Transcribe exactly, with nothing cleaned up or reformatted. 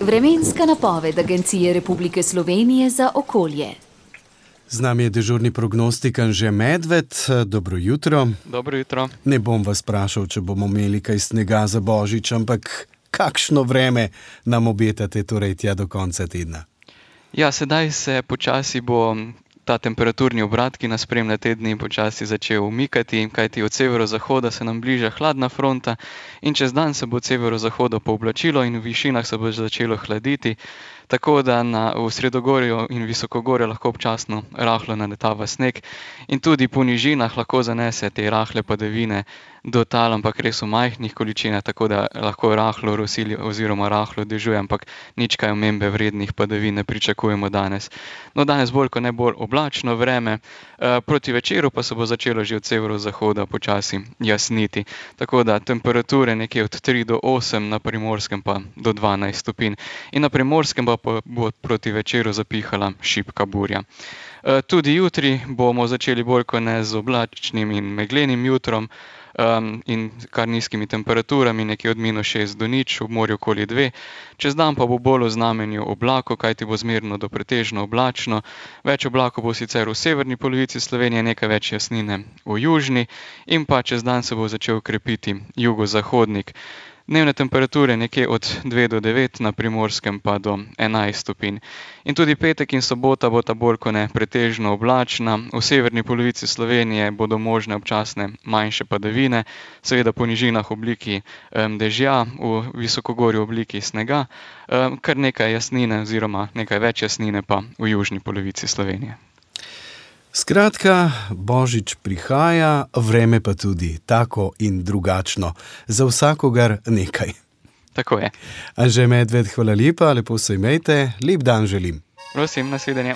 Vremenska napoved Agencije Republike Slovenije za okolje. Z nami je dežurni prognostik Anže Medved. Dobro jutro. Dobro jutro. Ne bom vas vprašal, če bomo imeli kaj snega za Božič, ampak kakšno vreme nam obetate torej tja do konca tedna? Ja, sedaj se počasi bo ta temperaturni obrat, ki nas spremlja te dni, počasi začel umikati, kajti od severozahoda se nam bliža hladna fronta in čez dan se bo od severozahoda pooblačilo in v višinah se bo začelo hladiti, tako da na, v sredogorju in visokogorju lahko občasno rahlo naletava sneg in tudi po nižinah lahko zanese te rahle padavine do tal, ampak res v majhnih količinah, tako da lahko rahlo rosili oziroma rahlo dežuje, ampak nič kaj omembe vrednih padavin ne pričakujemo danes. No, danes bolj kot ne bolj oblačno vreme, proti večeru pa se bo začelo že od severozahoda počasi jasniti, tako da temperature nekje od tri do osem, na Primorskem pa do dvanajst stopinj in na Primorskem pa bo proti večeru zapihala šibka burja. Tudi jutri bomo začeli bolj kot ne z oblačnim in meglenim jutrom um, in kar nizkimi temperaturami, nekje od minus šest do nič, v morju okoli dve. Čez dan pa bo bolj v znamenju oblakov, kajti bo zmerno do pretežno oblačno. Več oblakov bo sicer v severni polovici Slovenije, nekaj več jasnine v južni in pa čez dan se bo začel krepiti jugozahodnik. Dnevne temperature nekje od dve do devet, na Primorskem pa do enajst stopinj. In tudi petek in sobota bo ta bolj kot ne pretežno oblačna. V severni polovici Slovenije bodo možne občasne manjše padavine, seveda po nižinah v obliki um, dežja, v visokogorju v obliki snega, um, kar nekaj jasnine oziroma nekaj več jasnine pa v južni polovici Slovenije. Skratka, Božič prihaja, vreme pa tudi tako in drugačno. Za vsakogar nekaj. Tako je. Anže Medved, hvala lepa, lepo se imejte, lep dan želim. Prosim, nasvidenje.